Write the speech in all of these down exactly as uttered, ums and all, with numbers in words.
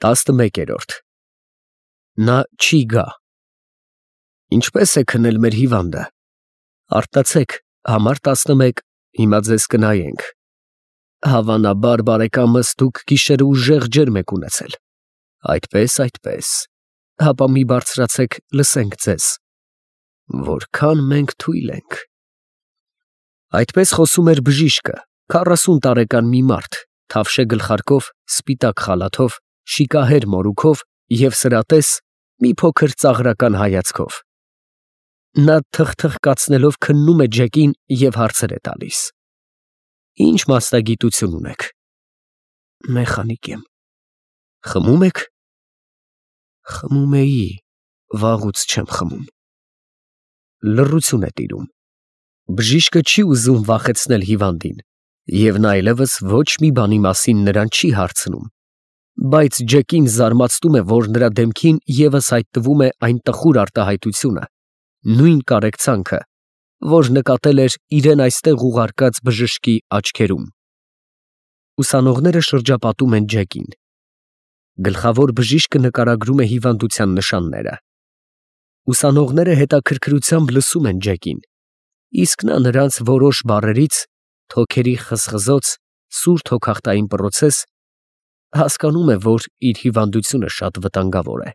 տասնմեկերորդ Նա չի գա։ Ինչպե՞ս է քնել մեր հիվանդը։ Արտացեք, համար տասնմեկ, հիմա ձեզ կնայենք։ Հավանաբար բարեկամս դուք գիշերը ուժեղ ջերմ եք ունեցել։ Այդպես, այդպես, հապա մի բարձրացեք, լսենք ձեզ։ Որքան մենք թույլ ենք։ Այդպես խոսում էր բժիշկը, քառասուն տարեկան մի մարդ, թավշե գլխարկով, սպիտակ խալաթով, շիկահեր մորուքով և սրատես, մի փոքր ծաղրական հայացքով։ Նա թխթխկացնելով քննում է Ջեկին և հարցեր է տալիս. Ինչ մասնագիտություն ունեք։ Մեխանիկ եմ։ Խմում եք։ Խմում էի, վաղուց չեմ խմում։ Լռություն է տիրում։ Բժիշկը չի ուզում վախեցնել հիվանդին, և նա այլևս ոչ մի բանի մասին նրան չի հարցնում, բայց Ջեկին զարմացնում է, որ նրա դեմքին ևս հայտնվում է այն տխուր արտահայտությունը, նույն կարեկցանքը, որ նկատել էր իրեն այստեղ ուղարկած բժշկի աչքերում։ Ուսանողները շրջապատում են Ջեկին։ Գլխավոր բժիշկը նկարագրում է հիվանդության նշանները։ Ուսանողները հետաքրքրությամբ լսում են Ջեկին, իսկ նա նրանց որոշ բառերից, թոքերի խզխզոց, սուր թոքախտային պրոցես, հասկանում է, որ իր հիվանդությունը շատ վտանգավոր է,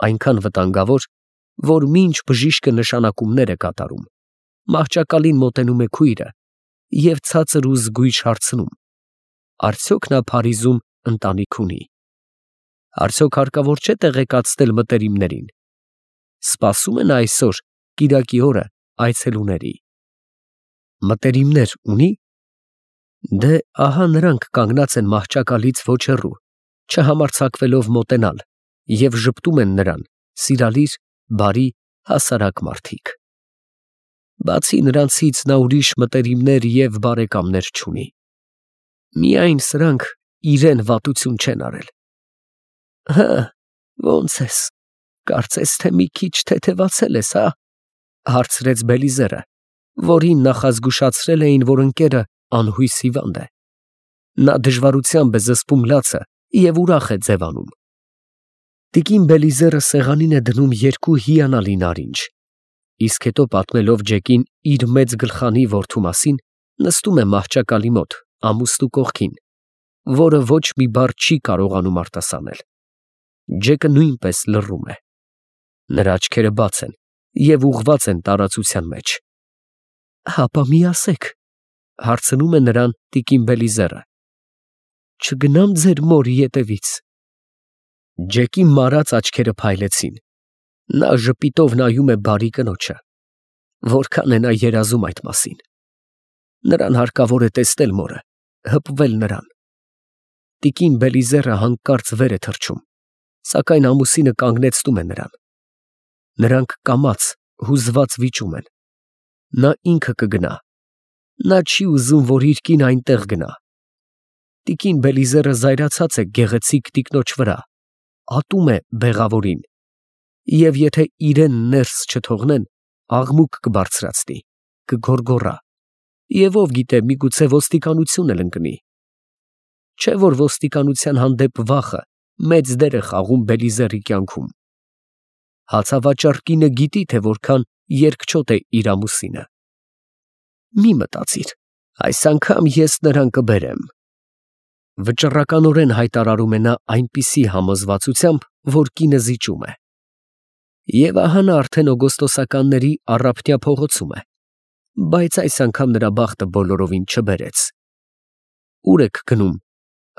այնքան վտանգավոր, որ մինչ բժիշկը նշանակումներ է կատարում, մահճակալին մոտենում է քույրը և ցածր ու զգույշ հարցնում. Արդյոք նա Փարիզում ընտանիք ունի։ Արդյոք հարկավոր չէ տեղեկացնել մտերիմներին։ Սպասում է նա այսօր, կիրակի օրը, այցելուների։ Մտերիմներ ունի։ Դե ահա նրանք կանգնած են մահճակալից ոչ հեռու, չհամարձակվելով մոտենալ, և ժպտում են նրան, սիրալիր, բարի, հասարակ մարդիկ։ Բացի նրանցից նա ուրիշ մտերիմներ և բարեկամներ չունի։ Միայն սրանք իրեն վատություն չեն արել։ Հը, ո՞նց ես, կարծես թե մի քիչ թեթևացել ես, հա, հարցրեց Բելիզերը, որին նախազգուշացրել էին, որ ընկերը անհույս հիվանդ է։ Նա դժվարությամբ է զսպում լացը և ուրախ է ձևանում։ Տիկին Բելիզերը սեղանին է դնում երկու հիանալի նարինջ, իսկ հետո պատմելով Ջեկին իր մեծ գլխանի որդու մասին, նստում է մահճակալի մոտ, ամուստու կողքին, որը ոչ մի բառ չի կարողանում արտասանել։ Ջեկը նույնպես լռում է։ Նրա աչքերը բաց են և ուղղված են տարածության մեջ։ Հապա մի ասեք, հարցնում է նրան տիկին Բելիզերը. Չգնամ ձեր մորի ետևից։ Ջեկի մարած աչքերը փայլեցին։ Նա ժպիտով նայում է բարի կնոջը։ Որքան է նա երազում այդ մասին։ Նրան հարկավոր է տեսնել մորը, հպվել նրան։ Տիկին Բելիզերը հանկարծ վեր է թռչում, սակայն ամուսինը կանգնեցնում է նրան։ Նրանք կամաց, հուզված վիճում են։ Նա ինքը կգնա։ Նա չի ուզում, որ իր կինը այնտեղ գնա։ Տիկին Բելիզերը զայրացած է գեղեցիկ տիկնոջ վրա, ատում է բեղավորին, և եթե իրեն ներս չթողնեն, աղմուկ կբարձրացնի, կգոռգոռա, և ով գիտե, միգուցե ոստիկանություն էլ ընկնի։ Չէ՞ որ ոստիկանության հանդեպ վախը մեծ դեր է խաղում Բելիզերի կյանքում։ Հացավաճառ կինը գիտի, թե որքան երկչոտ է իր ամուսինը։ Մի մտածիր, այս անգամ ես նրան կբերեմ։ Վճռականորեն հայտարարում է նա այնպիսի համոզվածությամբ, որ կինը զիջում է։ Եվ ահա նա արդեն օգոստոսականների առափնյա փողոցում է, բայց այս անգամ նրա բախտը բոլորովին չբերեց։ Ո՞ւր եք գնում,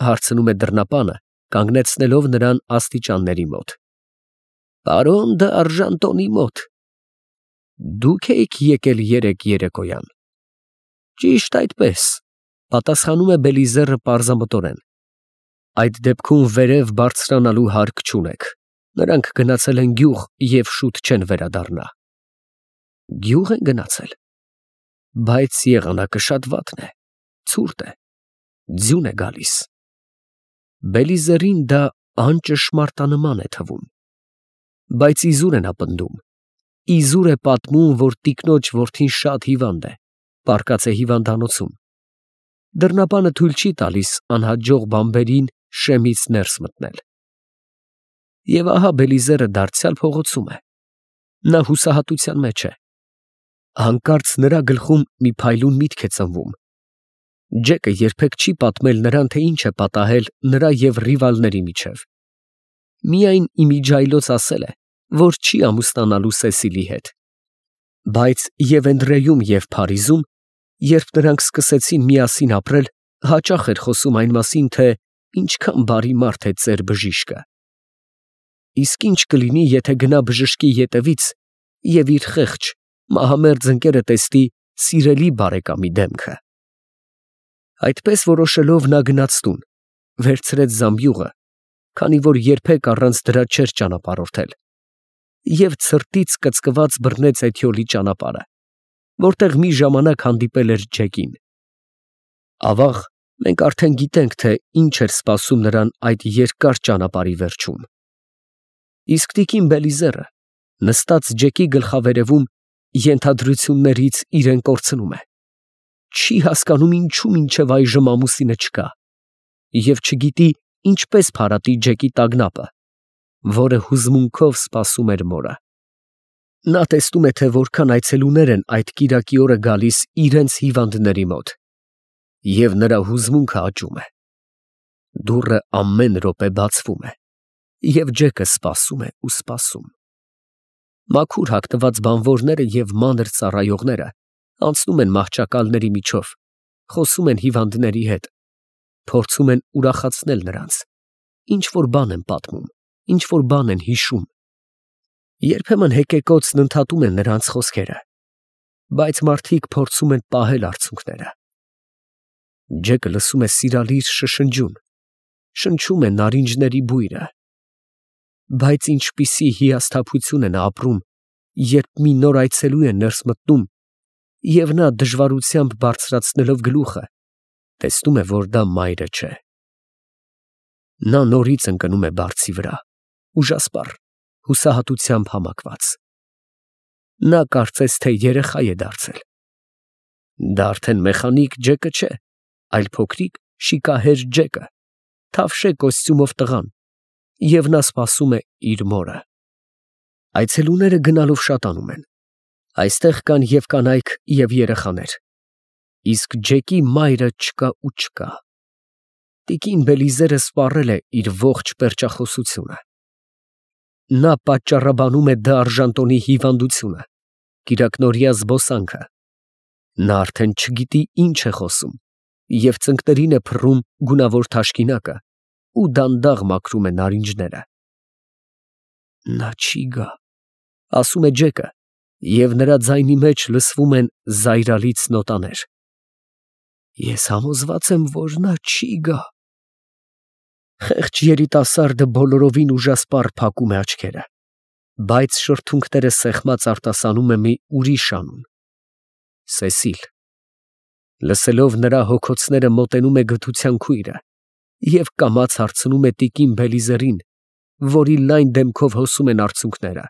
հարցնում է դռնապանը, կանգնեցնելով նրան աստիճանների մոտ։ Պարոն դ'Արժանտոնի մոտ։ Դուք էիք եկել երեկ երեկոյան։ Ճիշտ այդպես, պատասխանում է Բելիզերը պարզամտորեն։ Այդ դեպքում վերև բարձրանալու հարկ չունեք։ Նրանք գնացել են գյուղ և շուտ չեն վերադառնա։ Գյուղ են գնացել։ Բայց եղանակը շատ վատն է, ցուրտ է, ձյուն է գալիս։ Բելիզերին դա անճշմարտանման է թվում։ Բայց իզուր է նա պնդում։ Իզուր է պատմում, որ տիկնոջ որդին շատ հիվանդ է, պառկած է հիվանդանոցում։ Դռնապանը թույլ չի տալիս անհաջող բանբերին շեմից ներս մտնել։ Եվ ահա Բելիզերը դարձյալ փողոցում է։ Նա հուսահատության մեջ է։ Հանկարծ նրա գլխում մի փայլուն միտք է ծնվում։ Ջեկը երբեք չի պատմել նրան, թե ինչ է պատահել նրա և ռիվալների միջև։ Միայն իմիջիայլոց ասել է, որ չի ամուսնանալու Սեսիլի հետ։ Բայց և Էնդրեյում, և Փարիզում, երբ նրանք սկսեցին միասին ապրել, հաճախ էր խոսում այն մասին, թե ինչքան բարի մարդ է ծեր բժիշկը։ Իսկ ինչ կլինի, եթե գնա բժշկի ետևից և իր խեղճ, մահամերձ ընկերը տեսնի սիրելի բարեկամի դեմքը։ Այդպես որոշելով նա գնաց տուն, վերցրեց զամբյուղը, քանի որ երբեք առանց դրա չէր ճանապարհորդել, և ցրտից կծկված բռնեց Էթիոլի ճանապարհը, որտեղ մի ժամանակ հանդիպել էր Ջեկին։ Ավաղ, մենք արդեն գիտենք, թե ինչ էր սպասում նրան այդ երկար ճանապարհի վերջում։ Իսկ տիկին Բելիզերը, նստած Ջեկի գլխավերևում, ենթադրություններից իրեն կորցնում է։ Չի հասկանում ինչու մինչև այժմ ամուսինը չկա, և չգիտի ինչպես փարատի Ջեկի տագնապը, որը հուզմունքով սպասում էր մորը։ Նա տեսնում է, թե որքան այցելուներ են այդ կիրակի օրը գալիս իրենց հիվանդների մոտ, և նրա հուզմունքը աճում է։ Դուռը ամեն րոպե բացվում է, և Ջեկը սպասում է ու սպասում։ Մաքուր հագնված բանվորները և մանր ծառայողները անցնում են մահճակալների միջով, խոսում են հիվանդների հետ, փորձում են ուրախացնել նրանց, ինչ֊որ բան են պատմում, ինչ֊որ բան են հիշում։ Երբեմն հեկեկոցն ընդհատում են նրանց խոսքերը, բայց մարդիկ փորձում են պահել արցունքները։ Ջեկը լսում է սիրալիր շշնջյուն, շնչում է նարինջների բույրը։ Բայց ինչպիսի հիասթափություն է նա ապրում, երբ մի նոր այցելու է ներս մտնում, և նա դժվարությամբ բարձրացնելով գլուխը, տեսնում է, որ դա մայրը չէ։ Նա նորից ընկնում է բարձի վրա, ուժասպառ, հուսահատությամբ համակված։ Նա կարծես թե երեխա է դարձել։ Դա արդեն մեխանիկ Ջեկը չէ, այլ փոքրիկ շիկահեր Ջեկը, թավշե կոստյումով տղան, և նա սպասում է իր մորը։ Այցելուները գնալով շատանում են։ Այստեղ կան և կանայք, և երեխաներ։ Իսկ Ջեկի մայրը չկա ու չկա։ Տիկին Բելիզերը սպառել է իր ողջ պերճախոսությունը։ Նա պատճառաբանում է դարժանտոնի հիվանդությունը, կիրակնօրյա զբոսանքը։ Նա արդեն չգիտի ինչ է խոսում և ծնկներին է փռում գունավոր թաշկինակը ու դանդաղ մաքրում է նարինջները։ Նա չի գա, ասում է Ջեկը, և նրա ձայնի մեջ լսվում են զայրալից նոտաներ։ Ես համոզված եմ, որ նա չի գա։ Խեղճ երիտասարդը բոլորովին ուժասպառ փակում է աչքերը, բայց շրթունքները սեղմած արտասանում է մի ուրիշ անուն՝ Սեսիլ։ Լսելով նրա հոգոցները մոտենում է գթության քույրը և կամաց հարցնում է տիկին Բելիզերին, որի լայն դեմքով հոսում են արցունքները.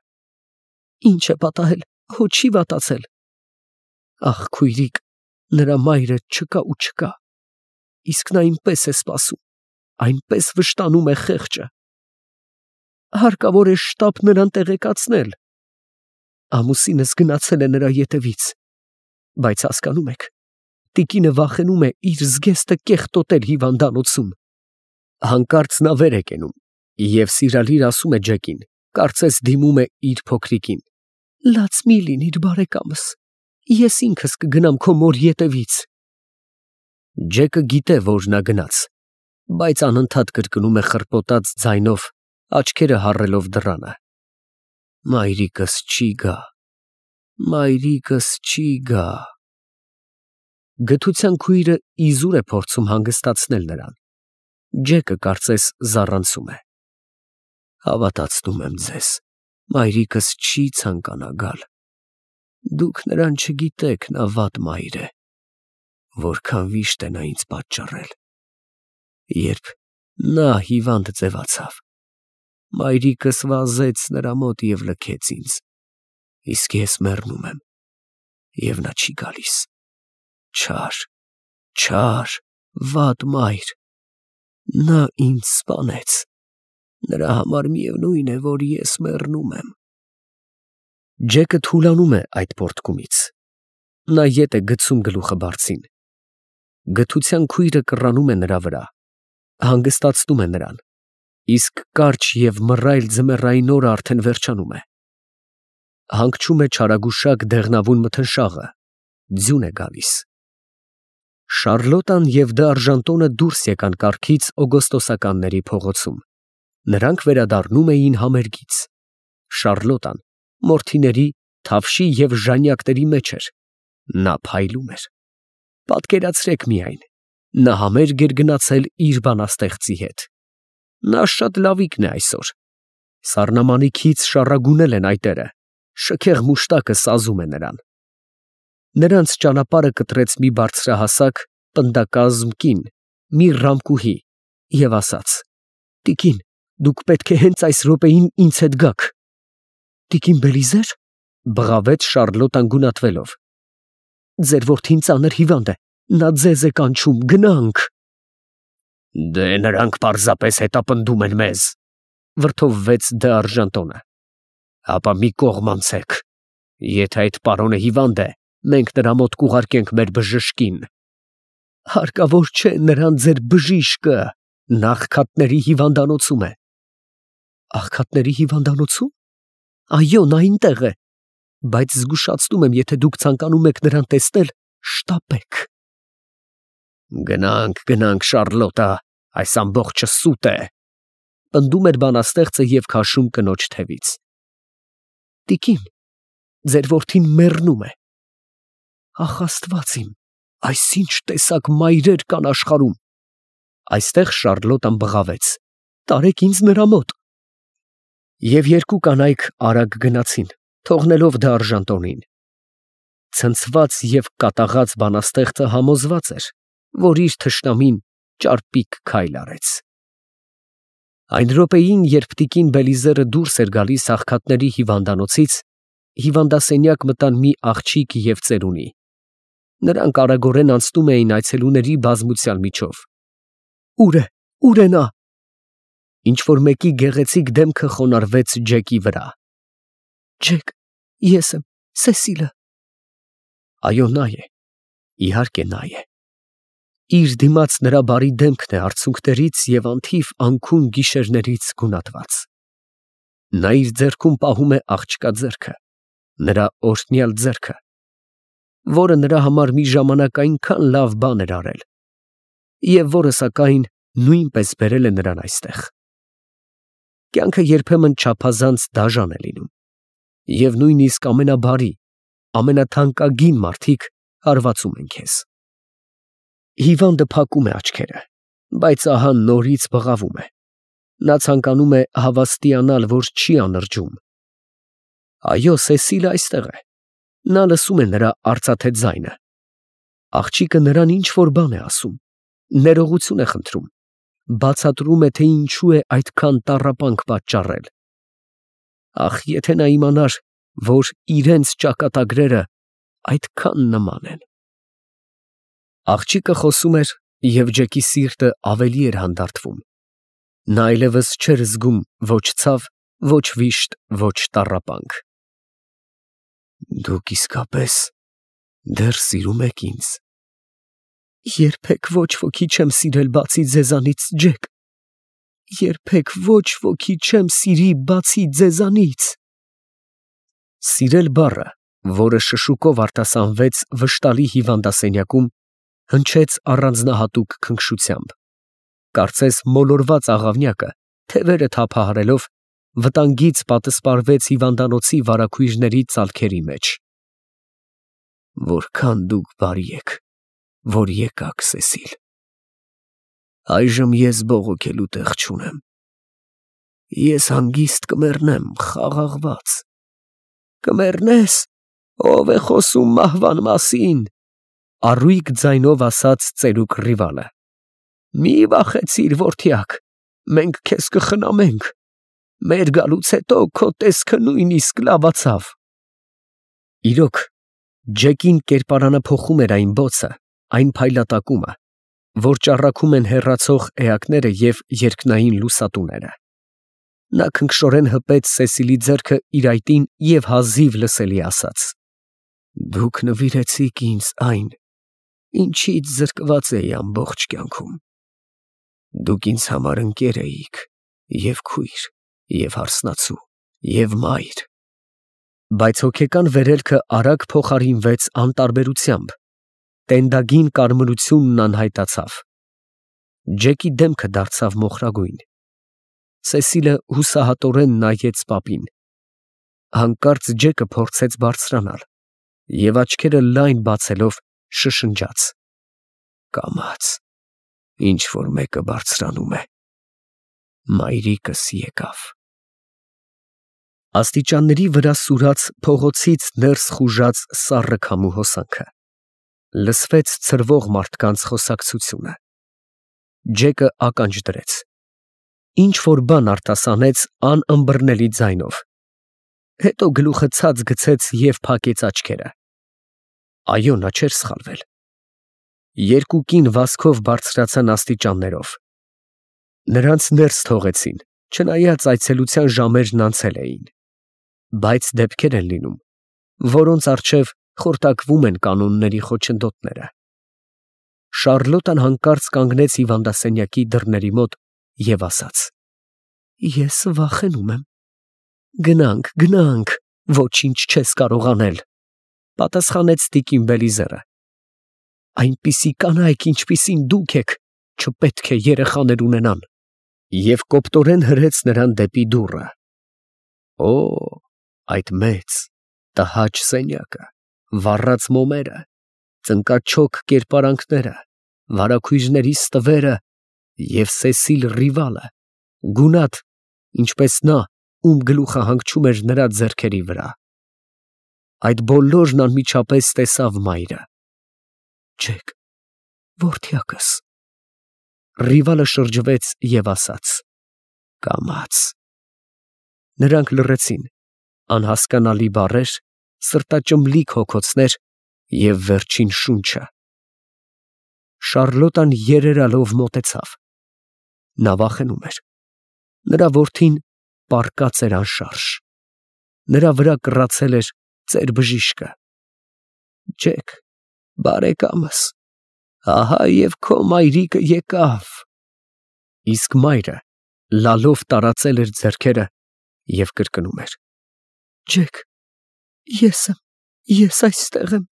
Ինչ է պատահել, հո չի վատացել։ Ախ, քույրիկ, նրա մայրը չկա ու չկա, իսկ նա այնպես է սպասում, այնպես վշտանում է խեղճը։ Հարկավոր է շտապ նրան տեղեկացնել։ Ամուսինս գնացել է նրա ետևից, բայց հասկանում եք, տիկինը վախենում է իր զգեստը կեղտոտել հիվանդանոցում։ Հանկարծ նա վեր է կենում և սիրալիր ասում է Ջեկին, կարծես դիմում է իր փոքրիկին. Լաց մի լինիր, բարեկամս, ես ինքս կգնամ քո մոր ետևից։ Ջեկը գիտե, որ նա գնաց, բայց անընդհատ կրկնում է խռպոտած ձայնով, աչքերը հառելով դռանը. Մայրիկս չի գա, մայրիկս չի գա։ Գթության քույրը իզուր է փորձում հանգստացնել նրան։ Ջեկը կարծես զառանցում է. Հավատացնում եմ ձեզ, մայրիկս չի ցանկանա գալ։ Դուք նրան չգիտեք, նա վատ մայր է, որքան վիշտ է նա ինձ պատճառել։ Երբ նա հիվանդ ձևացավ, մայրիկս վազեց նրա մոտ և լքեց ինձ, իսկ ես մեռնում եմ, և նա չի գալիս։ Չար, չար, վատ մայր, նա ինձ սպանեց, Նրա համար միևնույն է, որ ես մեռնում եմ։ Ջեկը թուլանում է այդ պոռթկումից։ Նա ետ է գցում գլուխը բարձին։ Գթության քույրը կռանում է նրա վրա, հանգստացնում է նրան, իսկ կարճ և մռայլ ձմեռային օրը արդեն վերջանում է։ Հանգչում է չարագուշակ դեղնավուն մթնշաղը, ձյուն է գալիս։ Շառլոտան և Դը Արժանտոնը դուրս եկան կառքից օգոստոսականների փողոցում։ Նրանք վերադառնում էին համերգից։ Շառլոտան մորթիների, թավշի և ժանյակների մեջ էր։ Նա փայլում էր։ Պատկերացրեք միայն, նա համերգ էր գնացել իր բանաստեղծի հետ։ Նա շատ լավիկն է այսօր։ Սառնամանիքից շառագունել են այտերը, շքեղ մուշտակը սազում է նրան։ Նրանց ճանապարհը կտրեց մի բարձրահասակ, պնդակազմ կին, մի ռամկուհի, և ասաց. «Տիկին, դուք պետք է հենց այս րոպեին ինձ հետ գաք»։ «Տիկին Բելիզե՞ր», բղավեց Շառլոտան գունատվելով։ «Ձեր որդին ծանր հիվանդ է, նա ձեզ է կանչում, գնանք»։ «Դե նրանք պարզապես հետապնդում են մեզ», վրդովվեց Դը Արժանտոնը։ «Հապա մի կողմ անցեք, եթե այդ պարոնը հիվանդ է, մենք նրա մոտ կուղարկենք մեր բժշկին»։ «Հարկավոր չէ նրան ձեր բժիշկը, նա աղքատների հիվանդանոցում է»։ «Աղքատների հիվանդանոցում»։ Այո, նա այնտեղ է, բայց զգուշացնում եմ, եթե դուք ցանկանում եք նրան տեսնել, շտապեք։ «Գնանք, գնանք, Շառլոտա, այս ամբողջը սուտ է», պնդում էր բանաստեղծը և քաշում կնոջ թևից։ «Տիկին, ձեր որդին մեռնում է»։ «Ախ, Աստված իմ, այս ինչ տեսակ մայրեր կան աշխարհում»։ Այստեղ Շառլոտան բղավեց. «Տարեք ինձ նրա մոտ»։ Եվ երկու կանայք արագ գնացին, թողնելով Դը Արժանտոնին։ Ցնցված և կատաղած բանաստեղծը համոզված էր, որ իր թշնամին ճարպիկ քայլ արեց։ Այն րոպեին, երբ տիկին Բելիզերը դուրս էր գալիս աղքատների հիվանդանոցից, հիվանդասենյակ մտան մի աղջիկ և ծերունի։ Նրանք արագորեն անցնում էին այցելուների բազմության միջով։ «Ո՞ւր է, ո՞ւր է նա»։ Ինչ֊որ մեկի գեղեցիկ դեմքը խոնարհվեց Ջեկի վրա։ «Ջեք, ես եմ, Սեսիլը»։ Այո, նա է, իհարկե նա է։ Իր դիմաց նրա բարի դեմքն է արցունքներից և անթիվ անքուն գիշերներից գունատված։ Նա իր ձեռքում պահում է աղջկա ձեռքը, նրա օրհնյալ ձեռքը, որը նրա համար մի ժամանակ այնքան լավ բան էր արել, և որը սակայն նույնպես բերել է նրան այստեղ։ Կյանքը երբեմն չափազանց դաժան է լինում, և նույնիսկ ամենաբարի, ամենաթանկագին մարդիկ հարվածում են քեզ։ Հիվանդը փակում է աչքերը, բայց ահա նորից բղավում է։ Նա ցանկանում է հավաստիանալ, որ չի անրջում։ Այո, Սեսիլը այստեղ է։ Նա լսում է նրա արծաթե ձայնը։ Աղջիկը նրան ինչ֊որ բան է ասում, ներողություն է խնդրում, բացատրում է, թե ինչու է այդքան տառապանք պատճառել։ Ախ, եթե նա իմանար, որ իրենց ճակատագրերը այդքան նման են։ Աղջիկը խոսում էր, և Ջեկի սիրտը ավելի էր հանդարտվում։ Նա այլևս չէր զգում ոչ ցավ, ոչ վիշտ, ոչ տառապանք։ «Դուք իսկապես դեռ սիրում եք ինձ»։ «Երբեք ոչ ոքի չեմ սիրել բացի ձեզանից, Ջեք, երբեք ոչ ոքի չեմ սիրի բացի ձեզանից»։ Սիրել բառը, որը շշուկով արտասանվեց վշտալի հիվանդասենյակում, հնչեց առանձնահատուկ քնքշությամբ։ Կարծես մոլորված աղավնյակը, թևերը թափահարելով, վտանգից պատսպարվեց հիվանդանոցի վարագույրների ծալքերի մեջ։ «Որքան դուք բարի եք, որ եկաք, Սեսիլ։ Այժմ ես բողոքելու տեղ չունեմ։ Ես հանգիստ կմեռնեմ խաղաղված»։ «Կմեռնես, ով է խոսում մահվան մասին», առույգ ձայնով ասաց ծերուկ Ռիվալը։ «Մի վախեցիր, որդյակ, մենք քեզ կխնամենք, մեր գալուց հետո քո տեսքը նույնիսկ լավացավ»։ Իրոք, Ջեկին կերպարանափոխում էր այն բոցը, այն փայլատակումը, որ ճառագում են հեռացող էակները և երկնային լուսատուները։ Նա քնքշորեն հպեց Սեսիլի ձեռքը իր այտին և հազիվ լսելի ասաց. «Դուք նվիրեցիք ինձ այն, ինչից զրկված էի ամբողջ կյանքում։ Դուք ինձ համար ընկեր էիք, և քույր, և հարսնացու, և մայր»։ Բայց հոգեկան վերելքը արագ փոխարինվեց անտարբերությամբ, տենդագին կարմրությունն անհայտացավ։ Ջեկի դեմքը դարձավ մոխրագույն։ Սեսիլը հուսահատորեն նայեց պապին։ Հանկարծ Ջեկը փորձեց բարձրանալ և աչքերը լայն բացելով շշնջաց. «Կամաց ինչ֊որ մեկը բարձրանում է, մայրիկս եկավ»։ Աստիճանների վրա սուրաց փողոցից ներս խուժած սառը քամու հոսանքը։ Լսվեց ցրվող մարդկանց խոսակցությունը։ Ջեկը ականջ դրեց։ Ինչ֊որ բան արտասանեց անըմբռնելի ձայնով։ Հետո գլուխը ցած գցեց և փակեց աչքերը։ Այո, նա չէր սխալվել։ Երկու կին վազքով բարձրացան աստիճաններով։ Նրանց ներս թողեցին, չնայած այցելության ժամերն անցել էին։ Բայց դեպքեր են լինում, որոնց առջև խորտակվում են կանոնների խոչընդոտները։ Շառլոտան հանկարծ կանգնեց հիվանդասենյակի դռների մոտ և ասաց. «Ես վախենում եմ»։ «Գնանք, գնանք, ոչինչ չես կարող անել», պատասխանեց տիկին Բելիզերը։ «Այնպիսի կանայք, ինչպիսին դուք եք, չպետք է երեխաներ ունենան», և կոպտորեն հրեց նրան դեպի դուռը։ Օ, այդ մեծ, տհաճ սենյակը, վառած մոմերը, ծնկաչոք կերպարանքները, վարագույրների ստվերը և Սեսիլ Ռիվալը, գունատ, ինչպես նա, ում գլուխը հանգչում էր նրա ձեռքերի վրա։ Այդ բոլորն անմիջապես տեսավ մայրը։ «Ջեք, որդյակս»։ Ռիվալը շրջվեց և ասաց. «Կամաց»։ Նրանք լռեցին, անհասկանալի բառեր, սրտաճմլիկ հոգոցներ և վերջին շունչը։ Շառլոտան երերալով մոտեցավ։ Նա վախենում էր։ Նրա որդին պառկած էր անշարժ։ Նրա վրա կռացել էր ծեր բժիշկը։ «Ջեք, բարեկամս, ահա և քո մայրիկը եկավ»։ Իսկ մայրը լալով տարածել էր ձեռքերը և կրկնում էր. «Ջեք, ես եմ, ես այստեղ եմ»։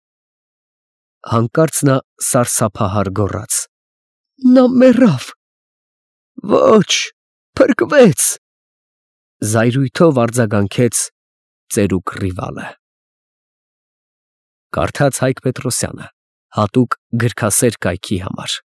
Հանկարծ նա սարսափահար գոռաց. «Նա մեռավ»։ «Ոչ, փրկվեց»։ Զայրույթով արձագանքեց ծերուկ Ռիվալը։ Կարդաց Հայկ Պետրոսյանը հատուկ գրքասեր կայքի համար։